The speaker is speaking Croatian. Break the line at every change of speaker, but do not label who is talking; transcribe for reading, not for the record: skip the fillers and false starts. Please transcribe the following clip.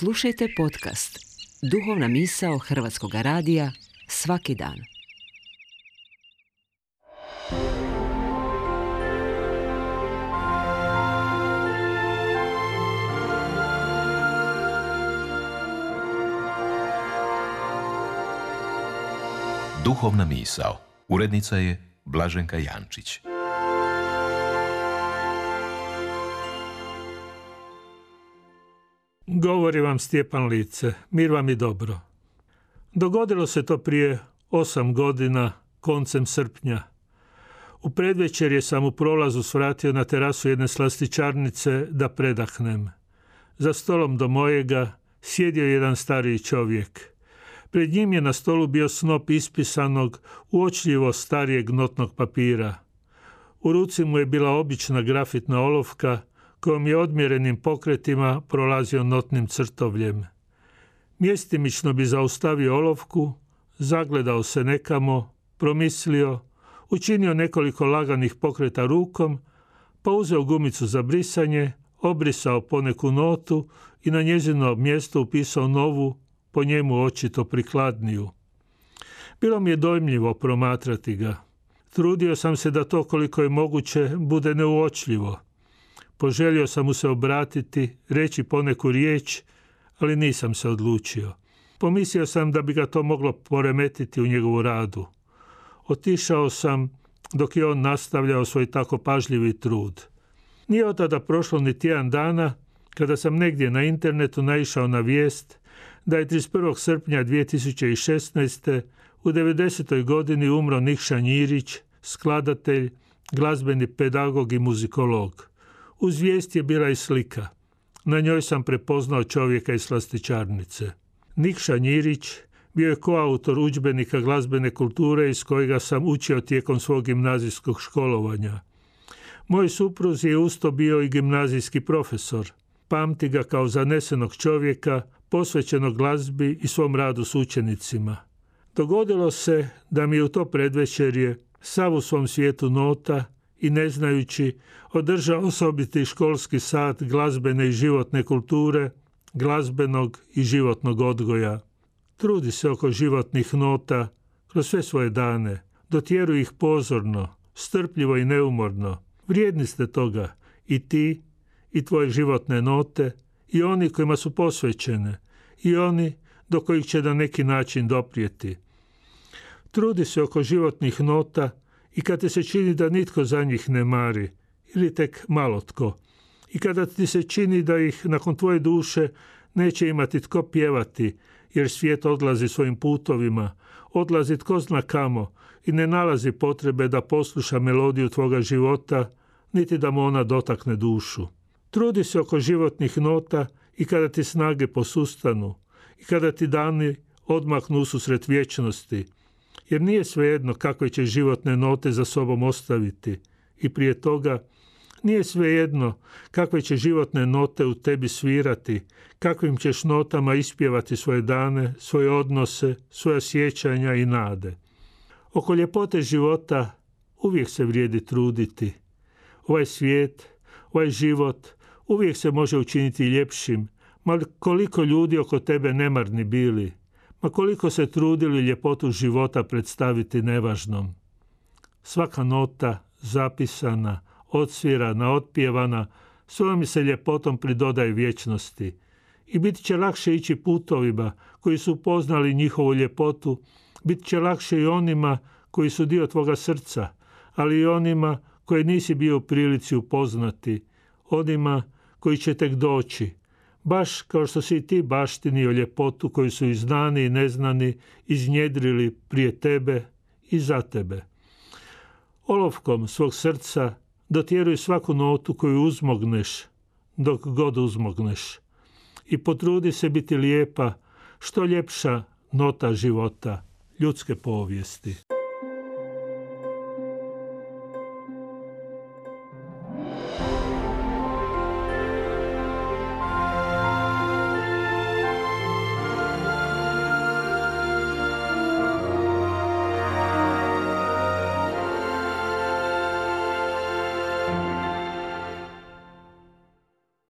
Slušajte podcast Duhovna misao Hrvatskog radija svaki dan.
Duhovna misao. Urednica je Blaženka Jančić.
Govori vam Stjepan Lice, mir vam i dobro. Dogodilo se to prije 8 godina, koncem srpnja. U predvečerje sam u prolazu svratio na terasu jedne slastičarnice da predahnem. Za stolom do mojega sjedio jedan stariji čovjek. Pred njim je na stolu bio snop ispisanog, uočljivo starijeg notnog papira. U ruci mu je bila obična grafitna olovka kojom je odmjerenim pokretima prolazio notnim crtovljem. Mjestimično bi zaustavio olovku, zagledao se nekamo, promislio, učinio nekoliko laganih pokreta rukom, pa uzeo gumicu za brisanje, obrisao poneku notu i na njezino mjesto upisao novu, po njemu očito prikladniju. Bilo mi je dojmljivo promatrati ga. Trudio sam se da to koliko je moguće bude neuočljivo. Poželio sam mu se obratiti, reći poneku riječ, ali nisam se odlučio. Pomislio sam da bi ga to moglo poremetiti u njegovu radu. Otišao sam dok je on nastavljao svoj tako pažljivi trud. Nije od tada prošlo ni tjedan dana kada sam negdje na internetu naišao na vijest da je 31. srpnja 2016. u 90. godini umro Nikša Njirić, skladatelj, glazbeni pedagog i muzikolog. Uz vijest je bila i slika. Na njoj sam prepoznao čovjeka iz slastičarnice. Nikša Njirić bio je koautor udžbenika glazbene kulture iz kojega sam učio tijekom svog gimnazijskog školovanja. Moj suprug je usto bio i gimnazijski profesor. Pamti ga kao zanesenog čovjeka, posvećenog glazbi i svom radu s učenicima. Dogodilo se da mi je u to predvečerje, sav u svom svijetu nota i ne znajući, održao osobiti školski sat glazbene i životne kulture, glazbenog i životnog odgoja. Trudi se oko životnih nota kroz sve svoje dane, dotjeruj ih pozorno, strpljivo i neumorno. Vrijedni ste toga i ti, i tvoje životne note, i oni kojima su posvećene, i oni do kojih će na neki način doprijeti. Trudi se oko životnih nota i kad ti se čini da nitko za njih ne mari, ili tek malo tko, i kada ti se čini da ih nakon tvoje duše neće imati tko pjevati, jer svijet odlazi svojim putovima, odlazi tko zna kamo i ne nalazi potrebe da posluša melodiju tvoga života, niti da mu ona dotakne dušu. Trudi se oko životnih nota i kada ti snage posustanu, i kada ti dani odmahnu ususret vječnosti, jer nije svejedno kakve će životne note za sobom ostaviti i prije toga nije svejedno kakve će životne note u tebi svirati, kakvim ćeš notama ispjevati svoje dane, svoje odnose, svoja sjećanja i nade. Oko ljepote života uvijek se vrijedi truditi. Ovaj svijet, ovaj život uvijek se može učiniti ljepšim, ma koliko ljudi oko tebe nemarni bili, ma koliko se trudili ljepotu života predstaviti nevažnom. Svaka nota, zapisana, odsvirana, otpjevana, svojom se ljepotom pridodaje vječnosti. I bit će lakše ići putovima koji su upoznali njihovu ljepotu, bit će lakše i onima koji su dio tvoga srca, ali i onima koje nisi bio u prilici upoznati, onima koji će tek doći, baš kao što si i ti baštinio ljepotu koju su i znani i neznani iznjedrili prije tebe i za tebe. Olovkom svog srca dotjeruj svaku notu koju uzmogneš, dok god uzmogneš. I potrudi se biti lijepa, što ljepša nota života, ljudske povijesti.